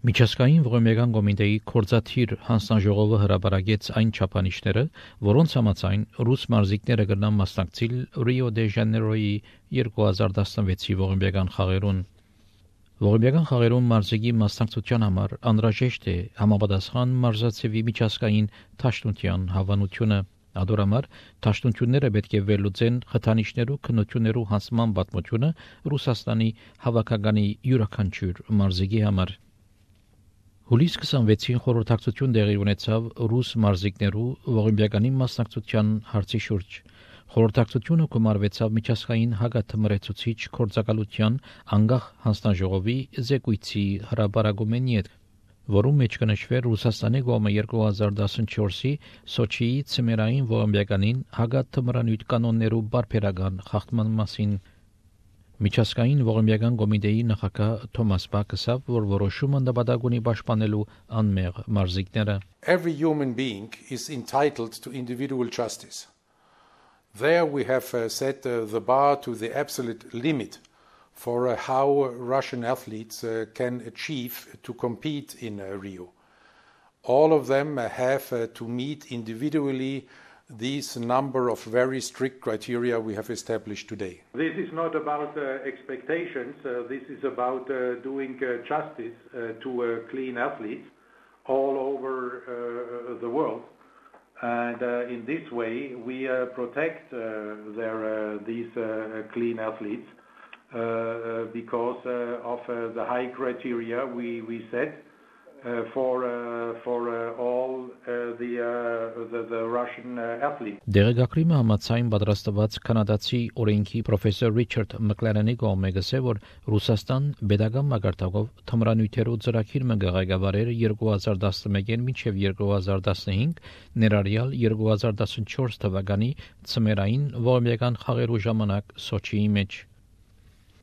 Միջազգային ողորմական կոմիտեի կորզաթիր հանձնաժողովը հրապարակեց այն չափանիշները, որոնց համաձայն ռուս մարզիկները կգնան մասնակցել Ռիո դե Ժանեյրոյի 2016-ի ողորմական խաղերուն։ Ողորմական խաղերուն մարզիկի մասնակցության համար անհրաժեշտ է համապատասխան մարզացեվի միջազգային դաշնության հավանությունը։ Ադորամար դաշնությունները պետք է վերլուծեն խթանիչներու քննություններու հանձնման պատմությունը Ռուսաստանի հավաքականի յուրաքանչյուր մարզիկի համար։ Հուլիս 26-ին խորհրդակցություն տեղի ունեցավ ռուս մարզիկներու ողորմյականի մասնակցության հարցի շուրջ։ Խորհրդակցությունը կմարվեցավ միջազգային հագաթմրեցուցիչ կորձակալության անգախ հանձնաժողովի զեկույցի հրապարակումեն յետ, որում մեջ կնշվեր Ռուսաստանի կողմը 2014-ի Սոչիի ցմերային ողորմյականին հագաթմրանույթ կանոններու բարբերական խախտման մասին։ Միջազգային ողորմական կոմիտեի նախագահ Թոմաս Բաքը ասավ, որ որոշումը նպատակ ունի պաշտպանելու անմեղ մարզիկները։ Every human being is entitled to individual justice. There we have set the bar to the absolute limit for how Russian athletes can achieve to compete in Rio. All of them have to meet individually these number of very strict criteria we have established today. This is not about expectations, this is about doing justice to clean athletes all over the world. And in this way we protect these clean athletes because of the high criteria we set for all the Russian athletes. Դերակրիմը համաձայն պատրաստված կանադացի օրենքի պրոֆեսոր Ռիչարդ Մկլարենի կողմէ գսե, որ Ռուսաստան pedagogan մակարդակով թմրանյութերու ծրագիր մը ղեկավարեր 2011-ին մինչև 2015, ներառյալ 2014 թվականի ցմերային ողորմական խաղերու ժամանակ Սոչիի մեջ։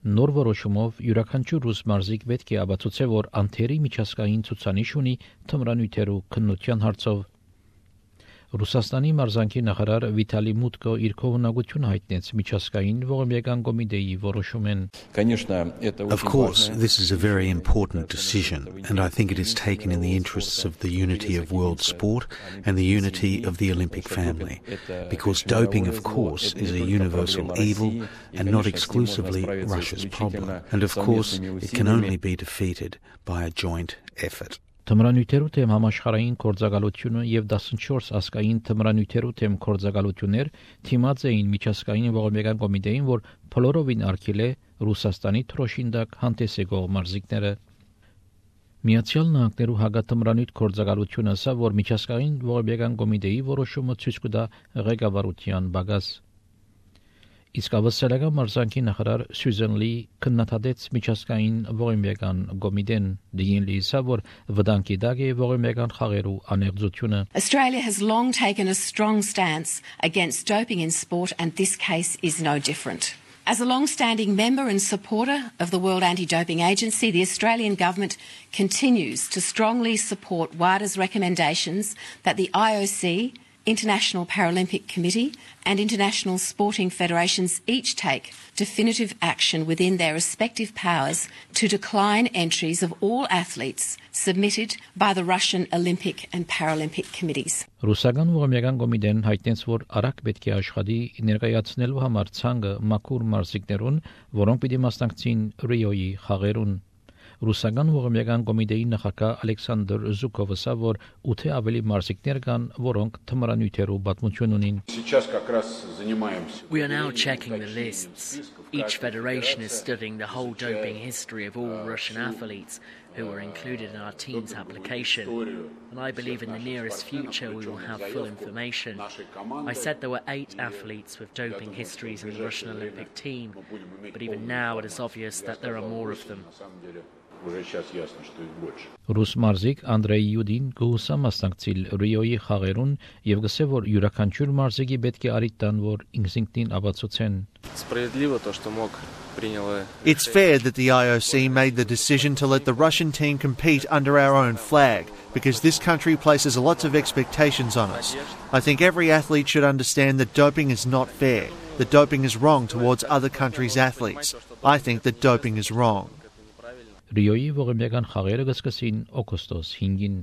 Նոր որոշումով յուրաքանչյուր ռուս մարզիկ պետք է ապացուցե, որ անթերի միջազգային ցուցանիշ ունի թմրանյութերու քննության հարցով։ Ռուսաստանի մարզանկի նախարար Վիտալի Մուտկո իր կողմնակությունը հայտնեց միջազգային ողորմական կոմիտեի որոշումեն։ Of course, this is a very important decision, and I think it is taken in the interests of the unity of world sport and the unity of the Olympic family, because doping, of course, is a universal evil and not exclusively Russia's problem, and of course, it can only be defeated by a joint effort. Թմրանյութերու թեմ համաշխարհային կորձակալությունը եւ 14 ասկային թմրանյութերու թեմ կորձակալություններ թիմած էին միջազգային ողորմական կոմիտեին, որ փլորովին արգել է Ռուսաստանի թրոշինդակ հանդես եկող մարզիկները։ Միացյալ Նահանգներու հագաթմրանյութ կորձակալությունը ասա, որ միջազգային ողորմական կոմիտեի որոշումը ցույց կտա ղեկավարության բագաս։ Իսկ ավստրալիական մարզանկի նախարար Սյուզեն Լի քննադատեց միջազգային ողորմական կոմիտեն, դին լիսա, որ վտանգի տակ է ողորմական խաղերու անեղծությունը։ Australia has long taken a strong stance against doping in sport, and this case is no different. As a long-standing member and supporter of the World Anti-Doping Agency, the Australian government continues to strongly support WADA's recommendations that the IOC, International Paralympic Committee and international sporting federations each take definitive action within their respective powers to decline entries of all athletes submitted by the Russian Olympic and Paralympic committees. Ռուսական ողորմական կոմիտեն հայտնեց, որ արագ պետք է աշխատի ներկայացնելու համար ցանկը մաքուր մարզիկներուն, որոնք պիտի մասնակցին Ռիոյի խաղերուն։ Ռուսական ողորմական կոմիտեի նախագահ Ալեքսանդր Զուկովը ասա, որ 8 ավելի մարզիկներ կան, որոնք թմրանյութերու պատմություն ունին։ We are now checking the lists. Each federation is studying the whole doping history of all Russian athletes who were included in our team's application. And I believe in the nearest future we will have full information. I said there were 8 athletes with doping histories in the Russian Olympic team, but even now it is obvious that there are more of them. Ռուս մարզիկ Անդրեյ Յուդին գուսա մասնակցել Ռիոյի խաղերուն եւ գսե, որ յուրաքանչյուր մարզիկի պետք է արիտ տան, որ ինքնին ապացուցեն։ It's fair that the IOC made the decision to let the Russian team compete under our own flag, because this country places lots of expectations on us. I think every athlete should understand that doping is not fair, that doping is wrong towards other countries' athletes. I think that doping is wrong. Ռիոյի ողբերգական խաղերը կսկսին օգոստոս 5-ին։